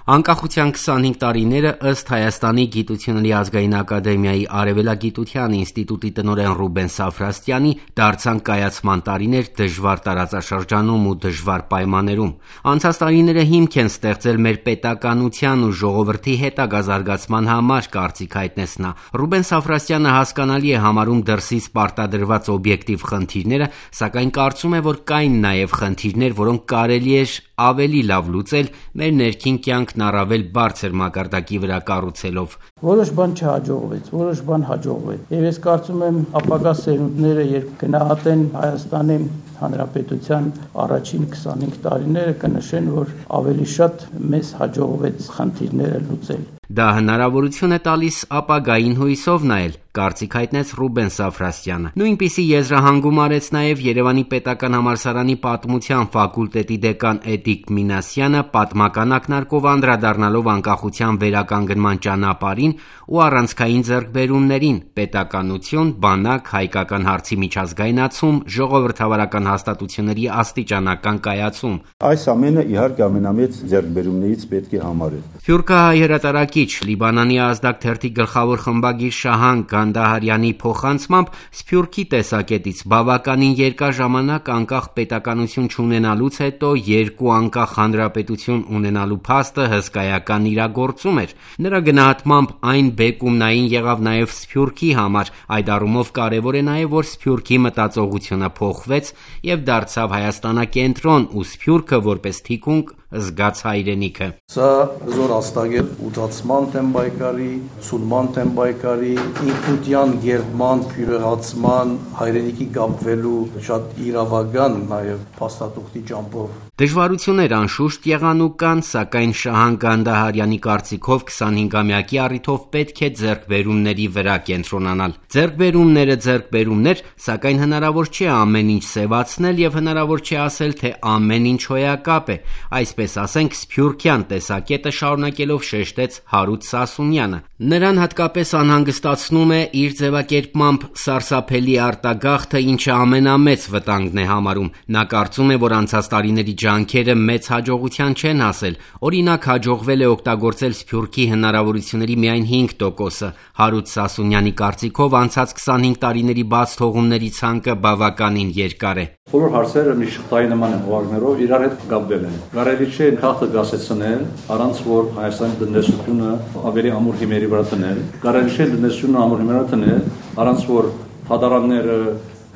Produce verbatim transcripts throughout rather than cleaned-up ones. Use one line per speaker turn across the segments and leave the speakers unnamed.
Անկախության քսանհինգ տարիները ըստ Հայաստանի գիտությունների ազգային ակադեմիայի Արևելագիտության ինստիտուտի տնօրեն Ռուբեն Սաֆրաստյանի դարձան կայացման տարիներ դժվար տարածաշրջանում ու դժվար պայմաններում։ Անցած տարիները հիմք են ստեղծել մեր պետականության ու ժողովրդի հետագա զարգացման համար, կարծիք հայտնեց նա։ Ռուբեն Սաֆրաստյանը հասկանալի է համարում դրսից պարտադրված օբյեկտիվ խնդիրները, սակայն կարծում է, որ կային նաև խնդիրներ, որոնք կարելի էր ավելի լավ լուծել մեր ներքին կյանքն առավել բարձր մակարդակի վրա կառուցելով։
Որոշ բան չհաջողվեց, որոշ բան հաջողվեց։ Եվ ես կարծում եմ ապագա սերունդները, երբ գնահատեն Հայաստանի Հանրապետության առաջին քսանհինգ տարիները, կնշեն, որ ավելի շատ մեզ հաջողվեց խնդիրները լուծել։
Դա հնարավորություն է տալիս ապագային հույսով նայել, կարծիք հայտնեց Ռուբեն Սաֆրաստյանը։ Նույնպիսի եզրահանգում արեց նաև Երևանի պետական համալսարանի պատմության ֆակուլտետի դեկան Էդիկ Մինասյանը, պատմական ակնարկով անդրադառնալով անկախության վերականգնման ճանապարհին ու առանցքային ձեռքբերումներին՝ պետականություն, բանակ, հայկական հարցի միջազգայնացում, ժողովրդավարական հաստատությունների աստիճանական կայացում։
Այս ամենը իհարկե ամենամեծ ձեռքբերումներից պետք է համարել։
Սփյուռքահայ հրատարակիչ Լիբանանի ազդակ թերթի գլխավոր խմբագիր Շահան Գանդահարյանի փոխանցմամբ Սփյուռքի տեսակետից բավականին երկար ժամանակ անկախ պետականություն չունենալուց հետո երկու անկախ հանրապետություն ունենալու փաստը հսկայական իրագործում էր։ Նրա գնահատմամբ այն բեկումնային եղավ նաև Սփյուռքի համար, այդ առումով կարևոր է նաև, որ Սփյուռքի մտածողությունը փոխվեց եւ դարձավ Հայաստանակենտրոն ու Սփյուռքը որպես թիկունք զգաց հայրենիքը։
Սա զոր աստագել ութացման թեմ բայկարի, ցունման թեմ բայկարի, ինքնության գերդման, փյուրեղացման, հայրենիքի գապվելու շատ իրավական նաև փաստաթուղթի ճամփով։
Դժվարություններ անշուշտ եղան ու կան, սակայն Շահան Գանդահարյանի կարծիքով քսանհինգամյակի առիթով պետք է ձեռքբերումների վրա կենտրոնանալ։ Ձեռքբերումները ձեռքբերումներ, սակայն հնարավոր չէ ամեն ինչ սևացնել եւ հնարավոր չէ ասել, թե ամեն ինչ հոյակապ է։ Այսպես ասենք, սփյուռքյան տեսակետը շարունակելով շեշտեց Հարութ Սասունյանը։ Նրան հատկապես անհանգստացնում է իր ձևակերպմամբ սարսափելի արտագաղթը, ինչը ամենամեծ վտանգն է համարում։ Նա կարծում է, որ անցած տարիների ջանքերը մեծ հաջողության չեն հասել։ Օրինակ, հաջողվել է օգտագործել Սփյուռքի հնարավորությունների միայն հինգ տոկոսը։ Հարութ Սասունյանի կարծիքով անցած քսանհինգ տարիների բաց թողումների ցանկը բավականին երկար է։
Բոլոր հարցերը մի շղթայի նման օղակներով իրար հետ կապվել են։ Կարելի չէ քաղաքը գասեցնել, առանց որ Հայաստանի տնտեսությունը ավելի ամուր հիմերի վրա դնել։ Կարելի չէ տնտեսությունը ամուր հիմերի վրա դնել, առանց որ հադարանները,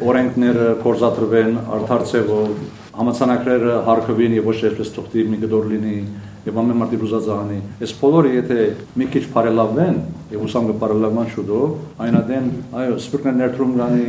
օրենքները կորզատրվեն արդար ձևով, համացանակները հարկվին եւ ոչ այսպես թողտի մի գդոր լինի եւ ամեն մարդի բուզածանի։ Այս բոլորը եթե մի քիչ բարելավվեն եւ ուսամ կբարելավման շուտով, այնադեն այո, սփյուռքն ներդրում կանի,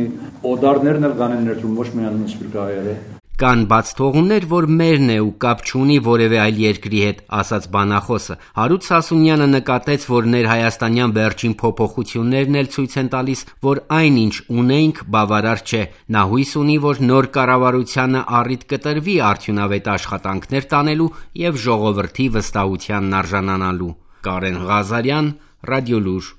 օդարներն էլ կանեն ներդրում, ոչ միայն սփյուռքահայերը։
Կան բաց թողումներ, որ մերն է ու կապ չունի որևէ այլ երկրի հետ, ասաց բանախոսը։ Հարութ Սասունյանը նկատեց, որ ներհայաստանյան վերջին փոփոխություններն էլ ցույց են տալիս, որ այն ինչ ունենք բավարար չէ։ Նա հույս ունի, որ նոր կառավարությանը առիթ կտրվի արդյունավետ աշխատանքներ տանելու եւ ժողովրդի վստահությանն արժանանալու։ Կարեն Ղազարյան, Ռադիոլուր։